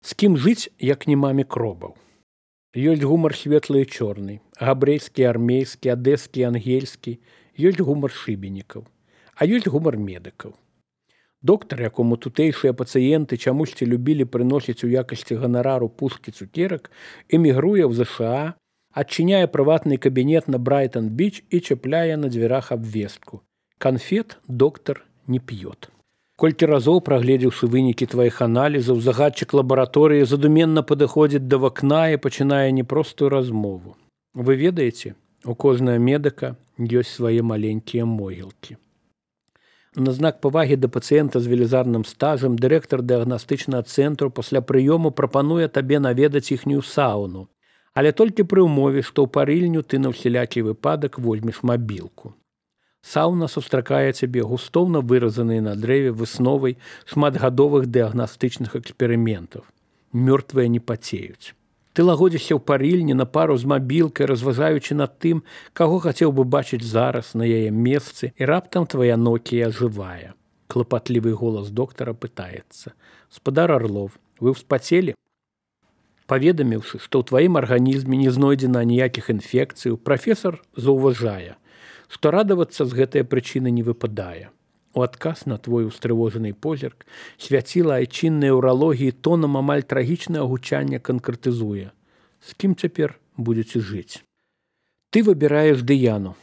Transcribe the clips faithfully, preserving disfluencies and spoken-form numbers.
З кім жыць, як не маме кробаў. Ёсць гумар светлы і чорны, габрэйскі, армейскі, адэскі, ангельскі, ёсць гумар шыбенікаў, а ёсць гумар медыкаў. Доктар, якому тутэйшыя пацыенты чамусьці любілі прыносіць у якасці ганарару пушкі цукерак, эмігруе ў ЗША, адчыняе прыватны кабінет на Брайтон-Біч і чапляе на дзвярах абвестку. Канфет доктар не п'ёт. Колькі разоў, прагледзеўшы вынікі тваіх аналізаў, загадчык лабараторыі задуменна падыходзіць да вакна і пачынае непростую размову. Вы ведаеце, у кожнага медыка ёсць свае маленькія могілкі. На знак павагі да пацыента з велізарным стажам дырэктар дыягнастычнага цэнтру пасля прыёму прапануе табе наведаць іхнюю сауну, але толькі пры ўмове, што ў парыльню ты на ўсялякі выпадак возьмеш мабілку. Сауна сустракае цябе густоўна выразанай на дрэве высновай шматгадовых дыягнастычных эксперыментаў. Мёртвыя не пацеюць. Ты лагодзішся ў парыльні на пару з мабілкай, разважаючы над тым, каго хацеў бы бачыць зараз на яе месцы, і раптам твая Нокія жывая. Клапатлівы голас доктара пытаецца: «Спадар Арлов, вы ўспацелі?» Паведаміўшы, што ў тваім арганізме не знойдзена ніякіх інфекцый, прафесар заўважае, што радавацца з гэтай прычыны не выпадае. У адказ на твой устрывожаны позірк свяціла айчыннай уралогіі тонам амаль трагічнае гучанне канкрэтызуе: «З кім цяпер будзеце жыць?» Ты выбіраеш Дыяну.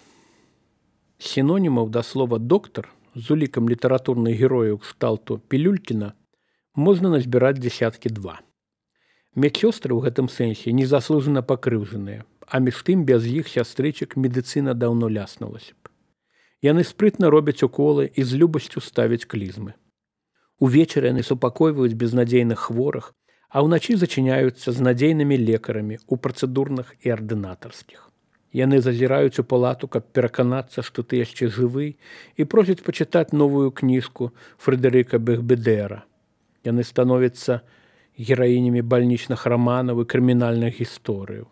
Сінонімаў да слова «доктар» з улікам літаратурных герояў кшталту Пілюлькіна можна назбіраць дзясяткі два. Медсёстры ў гэтым сэнсе незаслужана пакрыўджаныя, а між тым без іх сястрычак медыцына даўно ляснулася б. Яны спрытна робяць уколы і з любасцю ставяць клізмы. Увечары яны супакойваюць безнадзейных хворых, а ўначы зачыняюцца з надзейнымі лекарамі ў працэдурных і ардынатарскіх. Яны зазіраюць у палату, каб пераканацца, што ты яшчэ жывы, і просяць пачытаць новую кніжку Фрэдэрыка Бэгбедэра. Яны становяцца гераінямі бальнічных раманаў і крымінальных гісторыяў.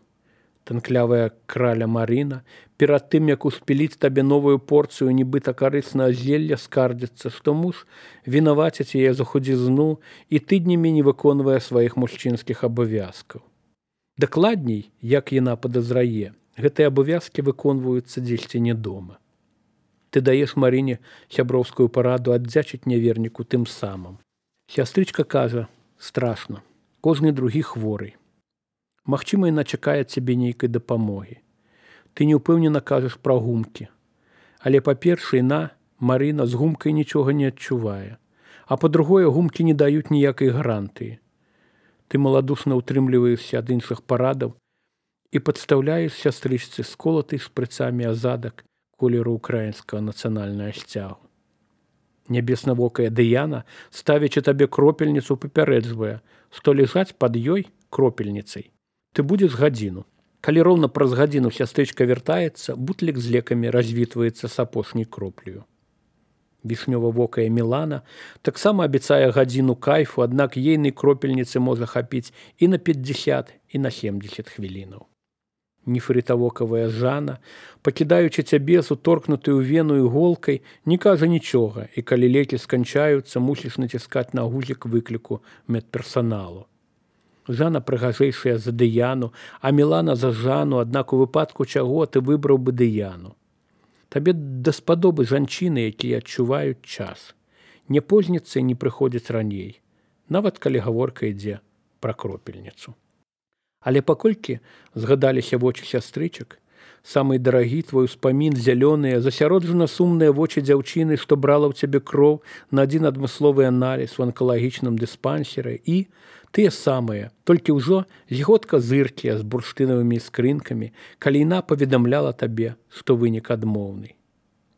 Танклявая краля Марына, перад тым, як успіліць табе новую порцыю нібыта карыснага зелля, скардзіцца, што муж вінаваціць яе за худзізну і тыднямі не выконвае сваіх мужчынскіх абавязкаў. Дакладней, як яна падазрае, гэтыя абавязкі выконваюцца дзесьці не дома. Ты даеш Марыне сяброўскую параду аддзячыць няверніку тым самым. Сястрычка кажа: «Страшна, кожны другі хворый. Магчыма, яна чакае цябе нейкай дапамогі. Ты неўпэўнена кажаш пра гумкі. Але па-першае, на, Марына, з гумкай нічога не адчувае. А па-другое, гумкі не даюць ніякай гарантыі. Ты маладушна ўтрымліваешся ад іншых парадаў і падстаўляеш сястрычцы сколатый шпрыцамі азадак колеру ўкраінскага нацыянальнага сцягу. Нябеснавокая Дыяна, ставячы табе кропельніцу, папярэджвае, што ляжаць пад ёй кропельніцай ты будзеш гадзіну. Калі роўна праз гадзіну сястрычка вяртаецца, бутлік з лекамі развітваецца з апошняй кроплею. Вішнёва-вокая Мілана таксама абяцае гадзіну кайфу, аднак ейнай кропельніцы можа хапіць і на пятьдесят, і на семьдесят хвілінаў. Нефрытавокавая Жана, пакідаючы цябе з уторкнутай у вену іголкай, не кажа нічога, і калі лекі сканчаюцца, мусіш націскаць на гузік выкліку медперсаналу. Жана прыгажэйшая за Дыяну, а Мілана за Жану, аднак у выпадку чаго ты выбраў бы Дыяну. Табе даспадобы жанчыны, якія адчуваюць час. Не позняцца і не прыходзяць раней, нават калі гаворка ідзе пра кропельніцу. Але паколькі згадаліся вочы сястрычак, самы дарагі твой успамін зялёныя, засяроджана сумныя вочы дзяўчыны, што брала ў цябе кроў на адзін адмысловы аналіз у анкалагічным дыспансеры, і тыя самыя, толькі ўжо згодка зыркія з бурштынавымі скрынкамі, калі яна паведамляла табе, што вынік адмоўны.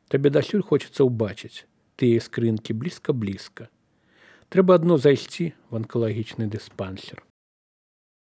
Табе дасюль хочацца ўбачыць тыя скрынкі блізка-блізка. Трэба адно зайсці в анкалагічны дыспансер.